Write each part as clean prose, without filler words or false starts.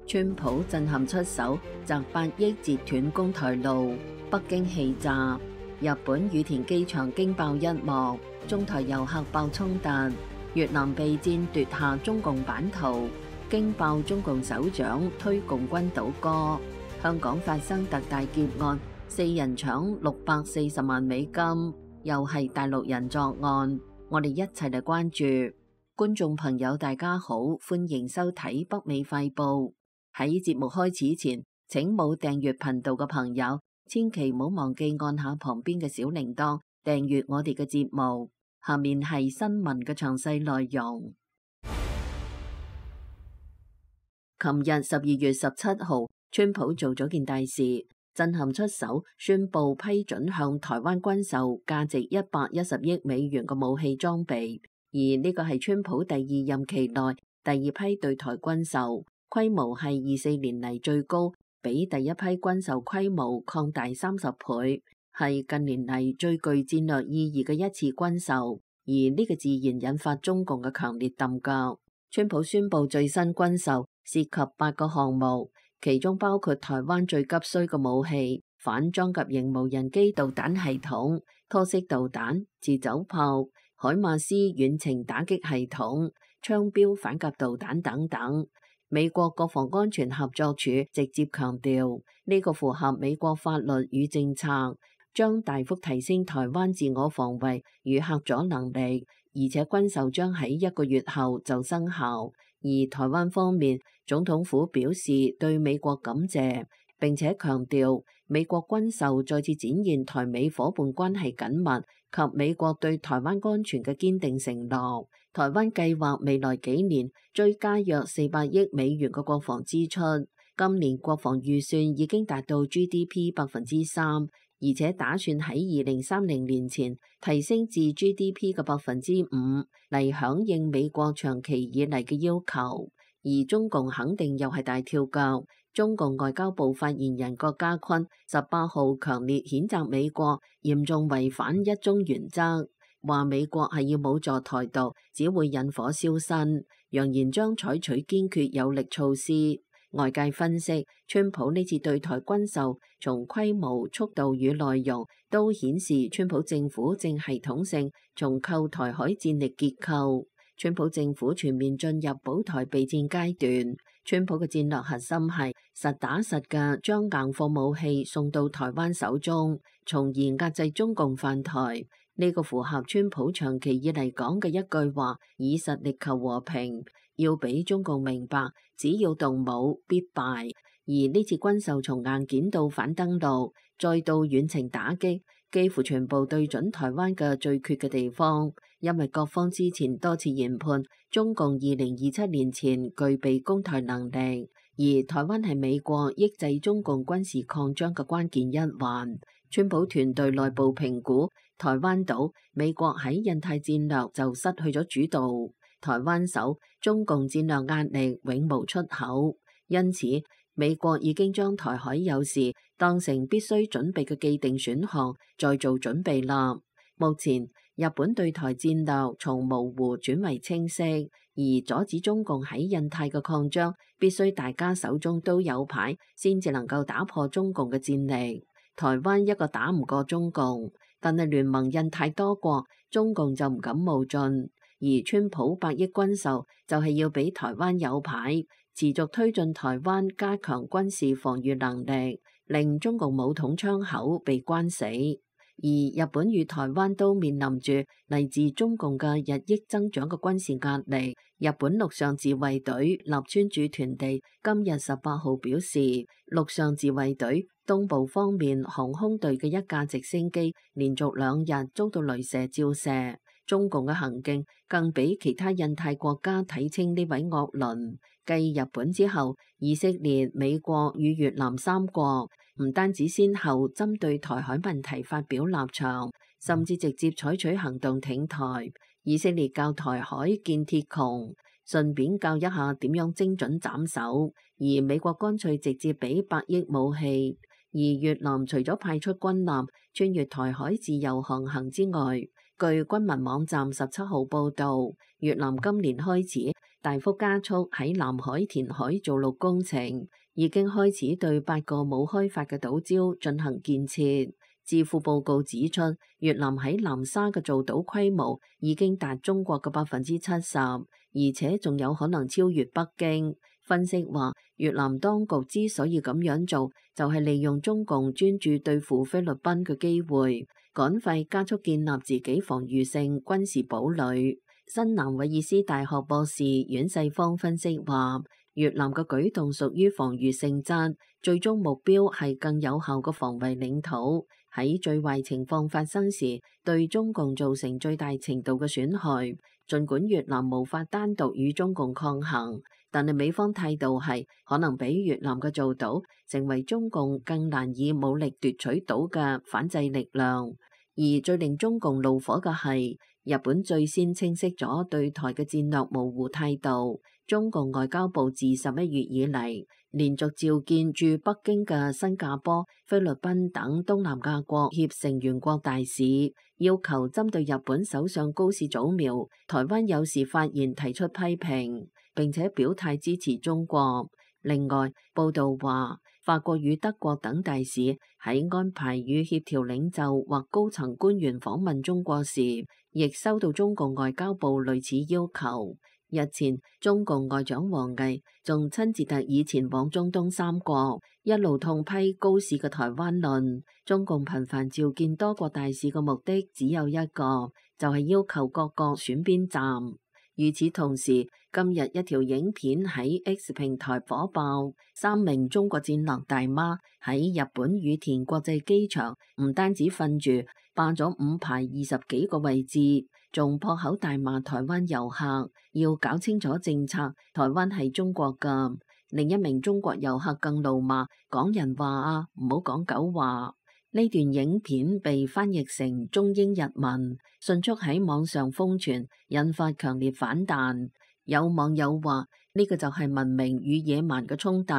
川普震撼出手，擲8億截斷公台路，北京氣炸。日本羽田機場驚爆一幕，中台遊客爆衝突。越南備戰奪下中共版圖，驚爆中共首長推共軍倒戈。香港發生特大劫案，4人搶640萬美金，又係大陸人作案。我哋一齊嚟關注。觀眾朋友大家好，歡迎收睇北美快報。喺節目開始前，請冇訂閱頻道嘅朋友千祈唔好忘記按下旁邊嘅小鈴鐺，訂閱我哋嘅節目。下面係新聞嘅詳細內容。琴日12月17號，川普做咗件大事，震撼出手，宣布批准向台灣軍售價值110億美元嘅武器裝備，而呢個係川普第2任期內第2批對台軍售，規模係24年嚟最高，比第一批軍售規模擴大30倍。係近年嚟最具戰略意義嘅一次軍售，而呢個自然引發中共嘅強烈覬覦。川普宣布最新軍售涉及8個項目，其中包括台灣最急需嘅武器——反裝甲型無人機導彈系統、拖式導彈、自走炮、海馬斯遠程打擊系統、槍標反甲導彈等等。美國國防安全合作署直接強調，呢個符合美國法律與政策，將大幅提升台灣自我防衛與嚇阻能力，而且軍售將喺1個月後就生效。而台灣方面，總統府表示對美國感謝，並且強調美國軍售再次展現台美夥伴關係緊密及美國對台灣安全嘅堅定承諾。台灣計劃未來幾年追加約400億美元嘅國防支出，今年國防預算已經達到 GDP 3%。而且打算喺2030年前提升至 GDP 嘅5%嚟響應美國長期以嚟嘅要求，而中共肯定又係大跳腳。中共外交部發言人郭家坤18號強烈譴責美國嚴重違反一中原則，話美國係要武助台獨，只會引火燒身，揚言將採取堅決有力措施。外界分析，川普呢次對台軍售，從規模、速度與內容都顯示川普政府正系統性重構台海戰力結構。川普政府全面進入保台備戰階段。川普嘅戰略核心係實打實嘅將硬貨武器送到台灣手中，從而壓制中共犯台。呢個符合川普長期以嚟講嘅一句話：以實力求和平。要俾中共明白，只要動武必敗。而呢次軍售從硬件到反登陸，再到遠程打擊，幾乎全部對準台灣嘅最缺嘅地方。因為各方之前多次研判，中共2027年前具備攻台能力，而台灣係美國抑制中共軍事擴張嘅關鍵一環。川普團隊內部評估，台灣島美國喺印太戰略就失去咗主導。台灣守中共戰略壓力永無出口，因此美國已經將台海有事當成必須準備嘅既定選項，再做準備啦。目前日本對台戰略從模糊轉為清晰，而阻止中共喺印太嘅擴張，必須大家手中都有牌，先至能夠打破中共嘅戰力。台灣一個打唔過中共，但係聯盟印太多國，中共就唔敢冒進。而川普8億軍售就係要俾台灣有牌，持續推進台灣加強軍事防禦能力，令中共武統窗口被關死。而日本與台灣都面臨住嚟自中共嘅日益增長嘅軍事壓力。日本陸上自衛隊立川駐屯地今日18號表示，陸上自衛隊東部方面航空隊嘅一架直升機連續2日遭到雷射照射。中共嘅行徑更俾其他印太國家睇清呢位惡鄰。繼日本之後，以色列、美國與越南3國唔單止先後針對台海問題發表立場，甚至直接採取行動挺台。以色列教台海建鐵穹，順便教一下點樣精準斬首；而美國乾脆直接俾8億武器。而越南除咗派出軍艦穿越台海自由航行之外，據軍民網站17號報導，越南今年開始大幅加速喺南海填海造陸工程，已經開始對8個冇開發嘅島礁進行建設。智庫報告指出，越南喺南沙嘅造島規模已經達中國嘅70%，而且仲有可能超越北京。分析話，越南當局之所以咁樣做，就係利用中共專注對付菲律賓嘅機會，趕快加速建立自己防禦性軍事堡壘。新南威爾斯大學博士阮世芳分析話，越南嘅舉動屬於防禦性質，最終目標係更有效嘅防衛領土，喺最壞情況發生時，對中共造成最大程度嘅損害。儘管越南無法單獨與中共抗衡，但係美方態度係可能比越南嘅做島成為中共更難以武力奪取到嘅反制力量。而最令中共怒火嘅係，日本最先清晰咗對台嘅戰略模糊態度。中共外交部自11月以嚟，連續召見駐北京嘅新加坡、菲律賓等東南亞國協成員國大使，要求針對日本首相高市早苗台灣有事發言提出批評，並且表態支持中國。另外，報道話，法國與德國等大使喺安排與協調領袖或高層官員訪問中國時，亦收到中共外交部類似要求。日前，中共外長王毅仲親自特意前往中東3國，一路痛批高市嘅台灣論。中共頻繁召見多國大使嘅目的只有一個，就係要求各國選邊站。與此同時，今日一條影片喺 X 平台火爆，3名中國戰略大媽喺日本羽田國際機場唔單止瞓住，霸咗5排20幾個位置，仲破口大罵台灣遊客，要搞清楚政策，台灣係中國㗎。另一名中國遊客更怒罵港人話啊，唔好講狗話。呢段影片被翻譯成中英日文，迅速喺網上瘋傳，引發強烈反彈。有網友話呢個就係文明與野蠻嘅衝突，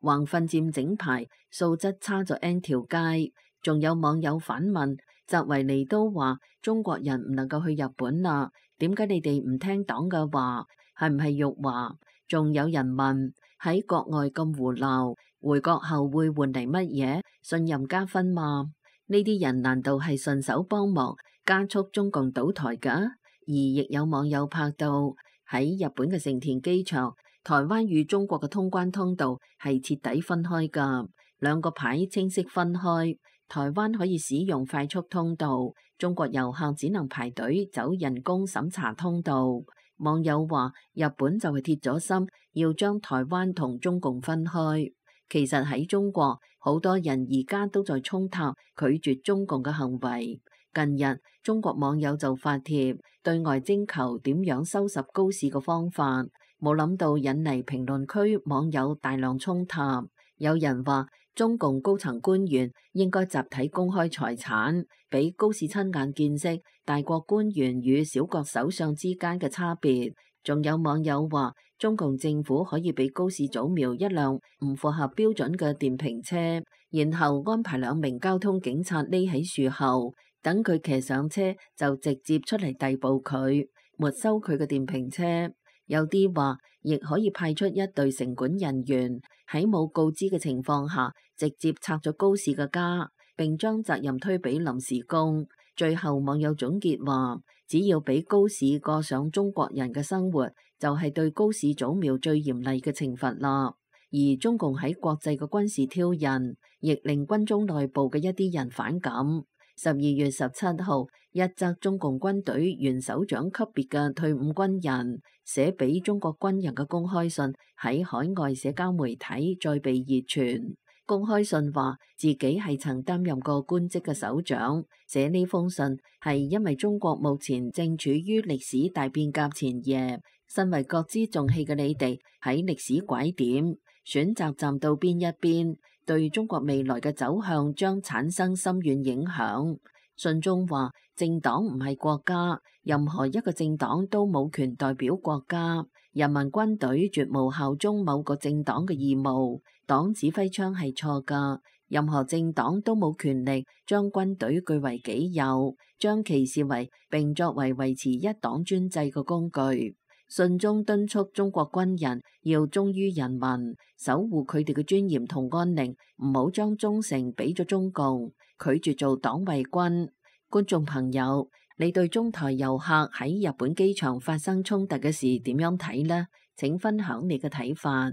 橫瞓佔整排，素質差咗 N 條街。仲有網友反問，澤維尼都話中國人唔能夠去日本啦，點解你哋唔聽黨嘅話？係唔係辱華？仲有人問，喺國外咁胡鬧，回國後會換嚟乜嘢？信任加分嗎？呢啲人難道係順手幫忙加速中共倒台㗎？而亦有網友拍到喺日本嘅成田機場，台灣與中國嘅通關通道係徹底分開㗎，兩個牌清晰分開。台灣可以使用快速通道，中國遊客只能排隊走人工審查通道。網友話日本就係鐵咗心要將台灣同中共分開。其實喺中國，好多人而家都在衝塔拒絕中共嘅行為。近日，中國網友就發帖對外徵求點樣收拾高市嘅方法，冇諗到引嚟評論區網友大量衝塔。有人話中共高層官員應該集體公開財產，俾高市親眼見識大國官員與小國首相之間嘅差別。仲有網友話，中共政府可以俾高市早苗一輛唔符合標準嘅電瓶車，然後安排2名交通警察匿喺樹後，等佢騎上車就直接出嚟逮捕佢，沒收佢嘅電瓶車。有啲話，亦可以派出一隊城管人員喺冇告知嘅情況下，直接拆咗高市嘅家，並將責任推俾臨時工。最後網友總結話，只要俾高市過上中國人嘅生活，就係對高市早苗最嚴厲嘅懲罰啦。而中共喺國際嘅軍事挑釁，亦令軍中內部嘅一啲人反感。12月17號，一則中共軍隊元首長級別嘅退伍軍人寫俾中國軍人嘅公開信喺海外社交媒體再被熱傳。公開信話自己係曾擔任過官職嘅首長，寫呢封信係因為中國目前正處於歷史大變革前夜，身為國之重器嘅你哋喺歷史拐點選擇站到邊一邊，對中國未來嘅走向將產生深遠影響。信中話，政黨唔係國家，任何一個政黨都冇權代表國家，人民軍隊絕無效忠某個政黨嘅義務，黨指揮槍係錯㗎，任何政黨都冇權力將軍隊據為己有，將其視為並作為維持一黨專制嘅工具。信中敦促中國軍人要忠於人民，守護佢哋嘅尊嚴同安寧，唔好將忠誠俾咗中共，拒絕做黨衛軍。觀眾朋友，你對中台遊客喺日本機場發生衝突嘅事點樣睇呢？請分享你嘅睇法。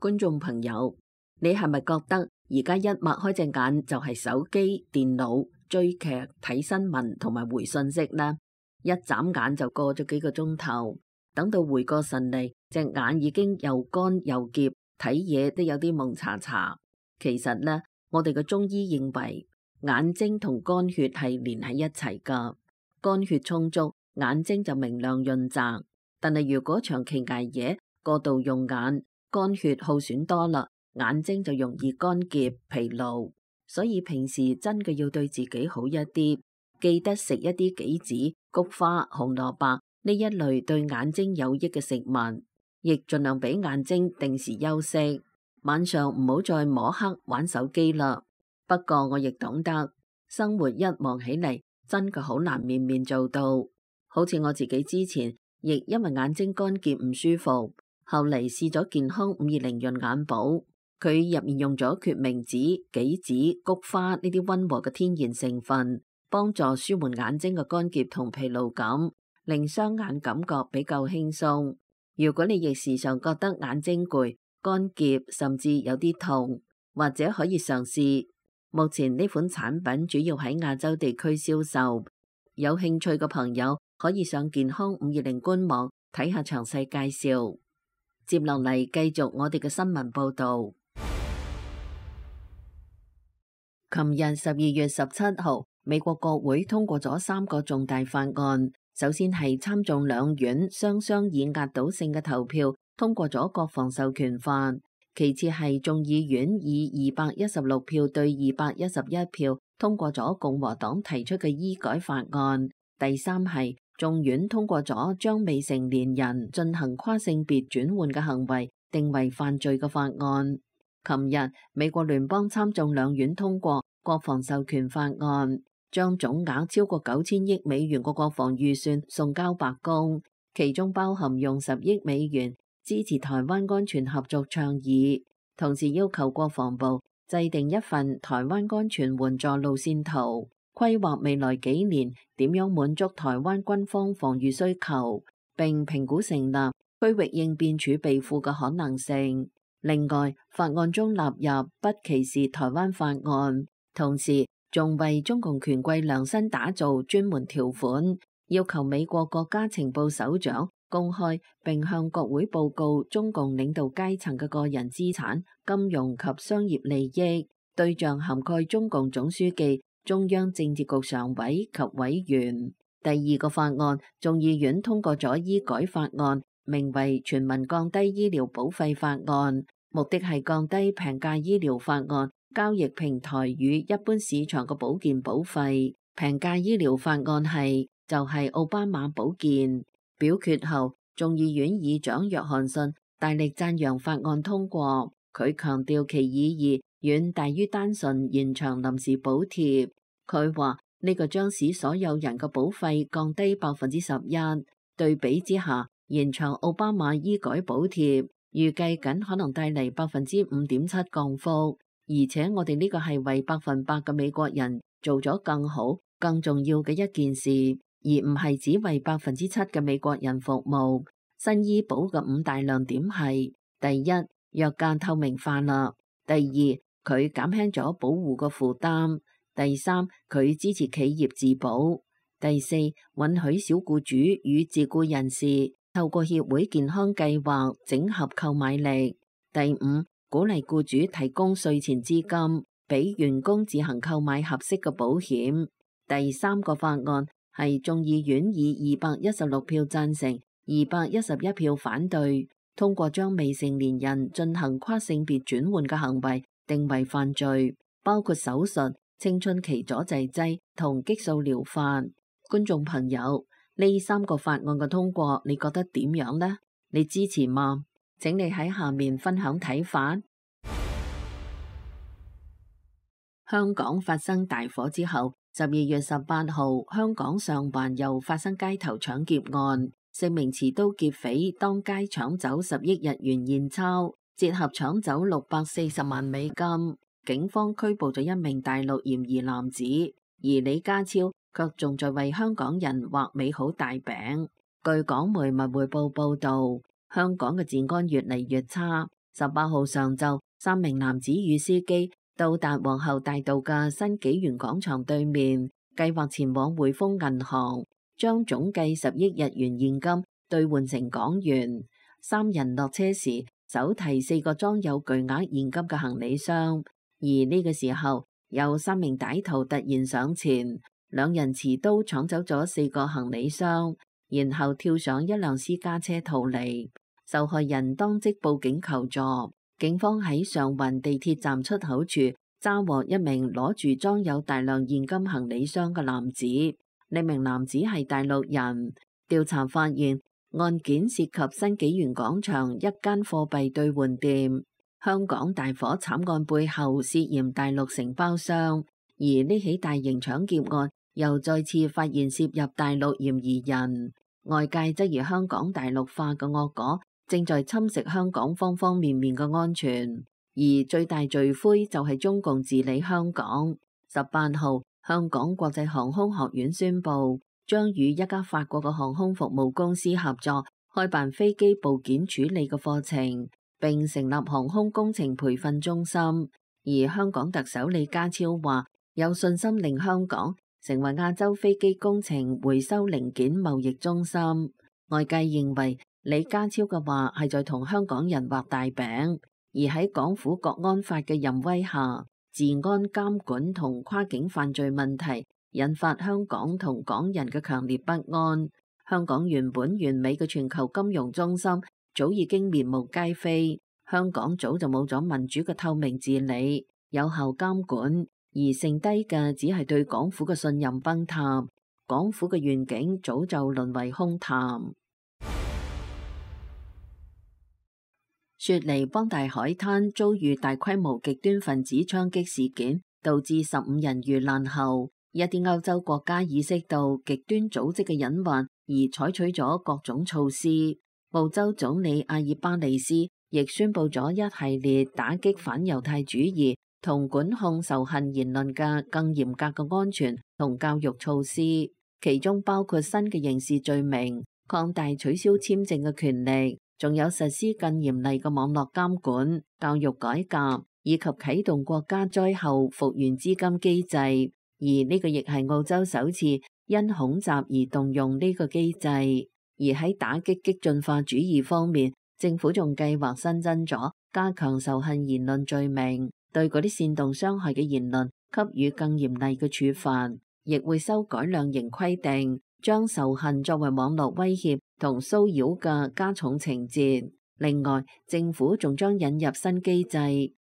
觀眾朋友，你係咪覺得而家一擘開隻眼就係手機、電腦、追劇、睇新聞同埋回信息呢？一眨眼就過咗幾個鐘頭，等到回過神嚟，隻眼已經又乾又澀，睇嘢都有啲蒙查查。其實呢，我哋嘅中醫認為眼睛同肝血係連喺一齊噶，肝血充足，眼睛就明亮潤澤。但係如果長期捱夜，過度用眼，肝血耗損多啦，眼睛就容易乾澀疲勞。所以平時真嘅要對自己好一啲，記得食一啲杞子、菊花、紅蘿蔔呢一類對眼睛有益嘅食物，亦盡量俾眼睛定時休息。晚上唔好再摸黑玩手機啦。不過我亦懂得，生活一忙起嚟，真嘅好難面面做到。好似我自己之前亦因為眼睛乾澀唔舒服，後嚟試咗健康520潤眼寶，佢入面用咗決明子、杞子、菊花呢啲溫和嘅天然成分，幫助舒緩眼睛嘅乾澀同疲勞感，令雙眼感覺比較輕鬆。如果你亦時常覺得眼睛攰、乾澀，甚至有啲痛，或者可以嘗試。目前呢款產品主要喺亞洲地區銷售，有興趣嘅朋友可以上健康520官網睇下詳細介紹。接落嚟繼續我哋嘅新聞報道。琴日12月17號，美國國會通過咗3個重大法案。首先係參眾兩院雙雙以壓倒性嘅投票通過咗國防授權法，其次係眾議院以216票對211票通過咗共和黨提出嘅醫改法案，第三係眾院通過咗將未成年人進行跨性別轉換嘅行為定為犯罪嘅法案。琴日美國聯邦參眾兩院通過國防授權法案，將總額超過9000億美元嘅國防預算送交白宮，其中包含用10億美元支持台灣安全合作倡議，同時要求國防部制定一份台灣安全援助路線圖，規劃未來幾年點樣滿足台灣軍方防禦需求，並評估成立區域應變儲備庫嘅可能性。另外，法案中納入不歧視台灣法案，同時仲為中共權貴量身打造專門條款，要求美國國家情報首長公開並向國會報告中共領導階層嘅個人資產、金融及商業利益，對象涵蓋中共總書記、中央政治局常委及委員。第二個法案，眾議院通過咗醫改法案，名為全民降低醫療保費法案，目的係降低平價醫療法案交易平台與一般市場嘅保健保費。平價醫療法案就係奧巴馬保健。表決後，眾議院議長約翰遜大力讚揚法案通過，佢強調其意義遠大於單純延長臨時補貼。佢話呢個將使所有人嘅保費降低11%，對比之下，延長奧巴馬醫改補貼預計僅可能帶嚟5.7%降幅，而且我哋呢個係為100%嘅美國人做咗更好、更重要嘅一件事，而唔係只為7%嘅美國人服務。新醫保嘅5大亮點係：第一，藥價透明化啦；第二，佢減輕咗保護嘅負擔；第三，佢支持企業自保；第四，允許小僱主與自僱人士透過協會健康計劃整合購買力；第五，鼓勵僱主提供稅前資金，俾員工自行購買合適嘅保險。第三個法案係眾議院以216票贊成、211票反對，通過將未成年人進行跨性別轉換嘅行為定為犯罪，包括手術、青春期阻滯劑同激素療法。觀眾朋友，呢3個法案嘅通過，你覺得點樣呢？你支持嗎？請你喺下面分享睇法。香港發生大火之後， 12月18號，香港上環又發生街頭搶劫案，四名持刀劫匪當街搶走10億日元現鈔，折合搶走640萬美金。警方拘捕咗一名大陸嫌疑男子，而李家超卻仲在為香港人畫美好大餅。據港媒文匯報報道，香港嘅治安越嚟越差。18號上晝，3名男子與司機到達皇后大道嘅新紀元廣場對面，計劃前往匯豐銀行，將總計10億日元現金兌換成港元。三人落車時，手提4個裝有巨額現金嘅行李箱，而呢個時候有3名歹徒突然上前，兩人持刀搶走咗4個行李箱，然後跳上一輛私家車逃離。受害人當即報警求助。警方喺上環地鐵站出口處抓獲一名攞住裝有大量現金行李箱嘅男子，呢名男子係大陸人。調查發現，案件涉及新紀元廣場一間貨幣兌換店。香港大火慘案背後涉嫌大陸承包商，而呢起大型搶劫案又再次發現涉入大陸嫌疑人。外界質疑香港大陸化嘅惡果正在侵蝕香港方方面面嘅安全，而最大罪魁就係中共治理香港。18號，香港國際航空學院宣布，將與一家法國嘅航空服務公司合作，開辦飛機部件處理嘅課程，並成立航空工程培訓中心。而香港特首李家超話，有信心令香港成為亞洲飛機工程回收零件貿易中心。外界認為李家超嘅話係在同香港人畫大餅，而喺港府國安法嘅淫威下，治安監管同跨境犯罪問題引發香港同港人嘅強烈不安。香港原本完美嘅全球金融中心早已經面目皆非，香港早就冇咗民主嘅透明治理、有效監管，而剩低嘅只係對港府嘅信任崩塌，港府嘅願景早就淪為空談。雪梨邦大海灘遭遇大規模極端分子槍擊事件，導致15人遇難後，一啲歐洲國家意識到極端組織嘅隱患，而採取咗各種措施。澳洲總理阿爾巴尼斯亦宣布咗一系列打擊反猶太主義同管控仇恨言論嘅更嚴格嘅安全同教育措施，其中包括新嘅刑事罪名、擴大取消簽證嘅權力，仲有實施更嚴厲嘅網絡監管、教育改革，以及啟動國家災後復原資金機制。而呢個亦係澳洲首次因恐襲而動用呢個機制。而喺打擊激進化主義方面，政府仲計劃新增咗加強仇恨言論罪名，對嗰啲煽動傷害嘅言論給予更嚴厲嘅處罰，亦會修改量刑規定，將仇恨作為網絡威脅同騷擾嘅加重情節。另外，政府仲將引入新機制，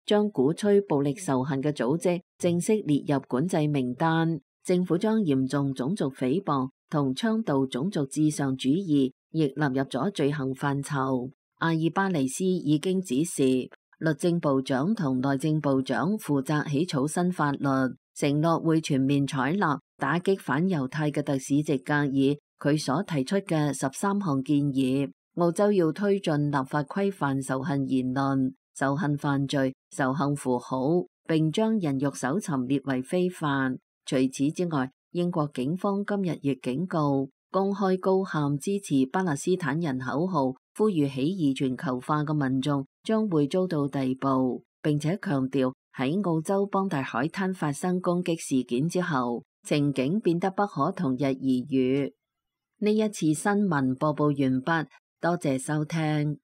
將鼓吹暴力仇恨嘅組織正式列入管制名單。政府將嚴重種族誹謗同倡導種族至上主義亦納入咗罪行範疇。阿爾巴尼斯已經指示律政部長同內政部長負責起草新法律，承諾會全面採納打擊反猶太嘅特使席格爾佢所提出嘅13項建議。澳洲要推進立法規範仇恨言論、仇恨犯罪、仇恨符號，並將人肉搜尋列為非法。除此之外，英國警方今日亦警告，公開高喊支持巴勒斯坦人口號，呼籲起義全球化嘅民眾將會遭到逮捕，並且強調喺澳洲邦大海灘發生攻擊事件之後，情景變得不可同日而語。呢一次新聞播報完畢，多謝收聽。